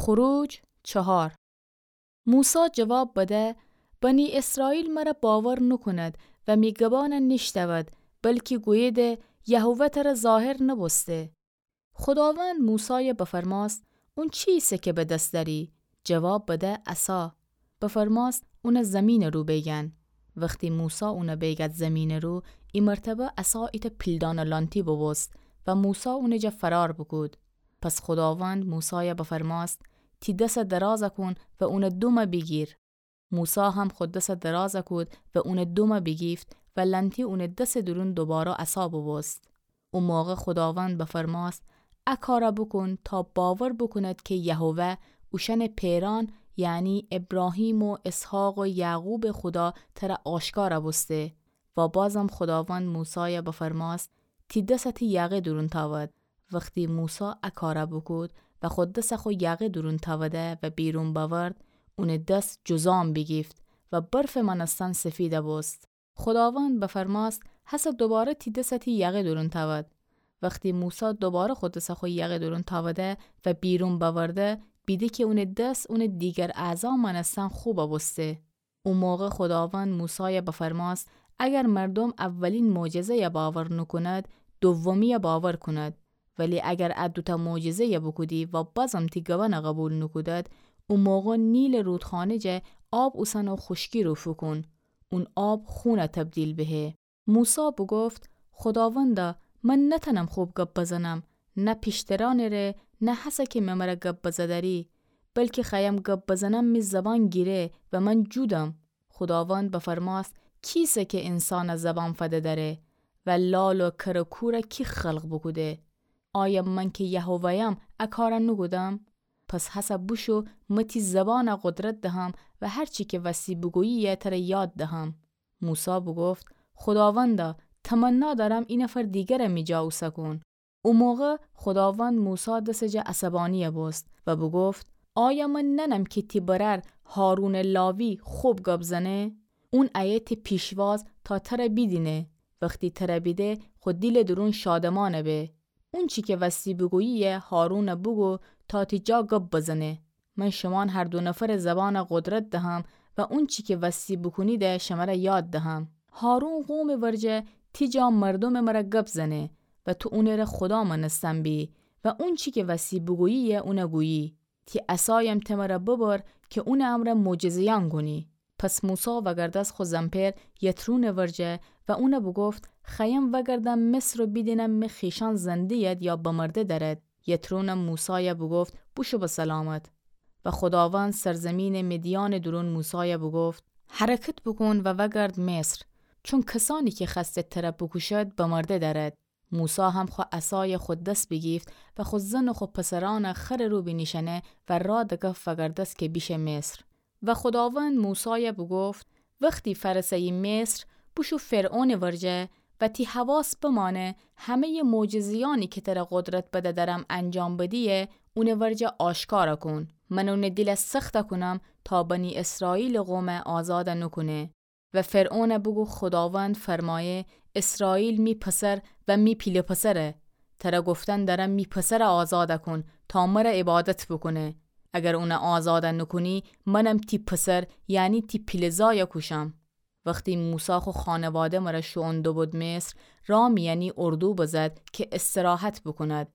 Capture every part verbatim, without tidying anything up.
خروج چهار. موسی جواب بده: بنی اسرائیل مر باور نوکوند و می گبان نیشتود، بلکی گوییدی یهوه تر ظاهر نوبوسته. خوداوند موسای بفرماست: اون چیسه کی به دس دری؟ جواب بده: عصا. بفرماست اون زمین رو بیگن. وختی موسی اون بیگد زمین رو، ای مرتبه عصا ایتأ پیلدان لانتی بوبوست و موسی اون جا فرار بوکود. پس خوداوند موسای بفرماست: تی دس دراز کون و اون دوم بیگیر. موسی هم خو دس دراز کود و اون دوم بیگیفت و لانتی اون دس دورون دوباره عصا بوبوست. او موقع خوداوند بفرماست: ا کار بوکون تا باور بوکوند کی یهوه، اوشأن پئران، یعنی ابراهیم و اسحاق و یعقوب خودا تر آشکار بوسته. و بازم خوداوند موسای بفرماست: تی دس تی یقه دورون تاود. وختی موسی ا کار بوکود و خو دس خو یقه دورون تاوده و بیرون بأورد، اون دس جذام بیگیفت و برف مانستن سفید بوست. خوداوند بفرماست: هسه دوباره تی دس تی یقه دورون تاود. وختی موسی دوباره خو دس خو یقه دورون تاوده و بیرون بأورده، بیده کی اون دس اون دیگر اعضا مانستن خوب بوسته. او موقع خوداوند موسای بفرماست: اگر مردم اولین معجزه‌ی باور نوکوند، دومیی باور کونند. ولی اگر ا دوتأ معجزه‌ی بوکودی و بازم تی گبان قبول نوکودد، او موقع نیل رودخانه جا آب اوسن و خوشکی رو فوکون، اون آب خون تبدیل بهه. موسی بوگفت: خوداوندا، من نتأنم خوب گب بزنم، نه پیشترانٚ ره، نه هسه کی مه مر گب بزه دأری، بلکی خوأیم گب بزنم می زبان گیره و من جودم. خوداوند بفرماست: کیسه کی انسان زبان فده دأره؟ و لال و کر و کور کی خلق بوکوده؟ آیا من کی یهوه‌یم ا کار نوکودم؟ پس هسه بوشو، مه تی زبان قدرت دهم و هر چی کی وستی بوگویی تر یاد دهم. موسی بوگفت: خوداوندا، تمنا دأرم ای نفر دیگر می جا اوسه کون. او موقع خوداوند موسی دس جا عصبانی بوست و بوگفت: آیا من نأنم کی تی برأر هارونٚ لاوی خوب گب زنه؟ اون ایه تی پیشواز تا تر بیدینه. وختی تر بیده، خو دیلٚ دورون شادمان به. اونچی کی وستی بوگویی هارون بوگو تا تی جا گب بزنه. من شومان هر دو نفر زبان قدرت دهم و اونچی کی وستی بوکونید شمر یاد دهم. هارون قومٚ ورجه تی جا مردومٚ مر گب زنه و تو اونٚ ره خودا مأنستن بی و اونچی کی وستی بوگویی اون گویی. تی عصایم ته مر ببر کی اونٚ امر معجزه‌یأن کونی. پس موسی وأگردست خو زنپئر یترونٚ ورجه و اون بوگفت: خوأیم وأگردم مصر و بیدینم می خویشأن زنده اید یا بمرده دأرد. یترونم موسای بوگفت: بوشو به سلامت. و خوداوند سرزیمینٚ مدیانٚ دورون موسای بوگفت: حرکت بوکون و وأگرد مصر، چون کسانی کی خوأستد تر بوکوشد بمرده دأرد. موسی هم خو عصای خو دس بیگیفت و خو زن و خو پسرأن خرٚ رو بینیشأنه و را دکفت وأگردست کی بیشه مصر. و خوداوند موسای بوگفت: وختی فأرسه‌یی مصر، بوشو فرعونٚ ورجه و تی حواس بمأنه همه‌یٚ معجزه‌یأنی کی تر قدرت بده دأرم انجام بدیی، اونٚ ورجه آشکار کون. من اونٚ دیل سخت کونم تا بنی اسرائیلٚ قوم آزاد نوکونه. و فرعون بوگو: خوداوند فرمایه: اسرائیل می پسر و می پیله پسره. تر گفتن دأرم می پسر آزاد کون تا مر عبادت بوکونه. اگر اون آزاد نوکونی، منم تی پسر، یعنی تی پیله زای کوشم. وختی موسی خو خانواده مر شوئون دوبود مصر، را میأنی اردو بزد کی استراحت بوکوند.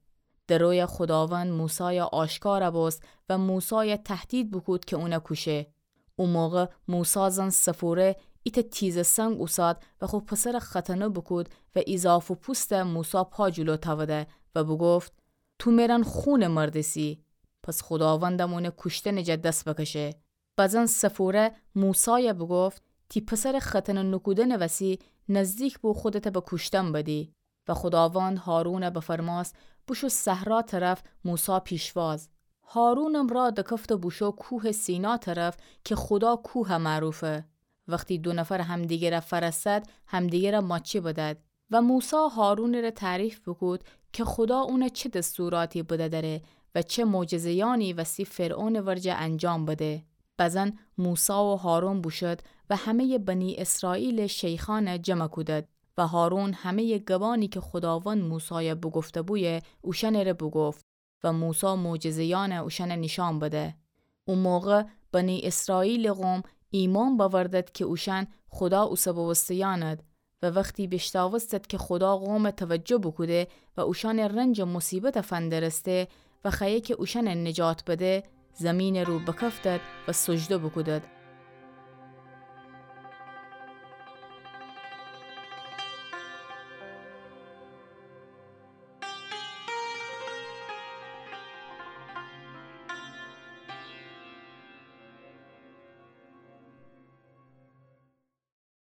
در روی خوداوند موسای آشکار بوست و موسای تهدید بوکود کی اون کوشه. او موقع موسی زن صفوره ایتأ تیزٚ سنگ اوساد و خو پسر ختنه بوکود و ایضافٚ پوستٚ موسی پا جلو تأوده و بوگفت: تو مئرأن خونٚ مردسی. پس خوداوندم اونٚ کوشتنٚ جا دس بکشه. بزن صفوره موسای بوگفت: تی پسرٚ ختنه نوکودنٚ وسی نزدیک بو خودت به کوشتن بدی. و خوداوند هارون بفرماست: بوشو صحرا طرف موسی پیشواز. هارونم را دکفت و بوشو کوهٚ سینا طرف کی خودا کوه معروفه. وختی دو نفر همدیگر فأرستد، همدیگر ماچی بدد. و موسی هارونٚ ره تعریف بوکود کی خودا اون چه دستوراتی بده دأره و چه معجزه‌یأنی وستی فرعونٚ ورجه انجام بده. بزن موسی و هارون بوشد و همه‌یٚ بنی اسرائیلٚ شیخأن جمع کودد. و هارون همه‌یٚ گبأنی کی خوداوند موسای بوگفته‌بویه اوشأنٚ ره بوگفت. و موسی معجزه‌یأنَ اوشأنَ نیشأن بده. او موقع بنی اسرائیلٚ قوم ایمأن بأوردد کی اوشأن خودا اوسه بوسته‌یأند و وختی بیشتاوستد کی خودا قومَ توجه بوکوده و اوشأنٚ رنج و مصیبتَ فندرسته و خوأیه کی اوشأنَ نجات بده، زیمینٚ رو بکفتد و سجده بوکودد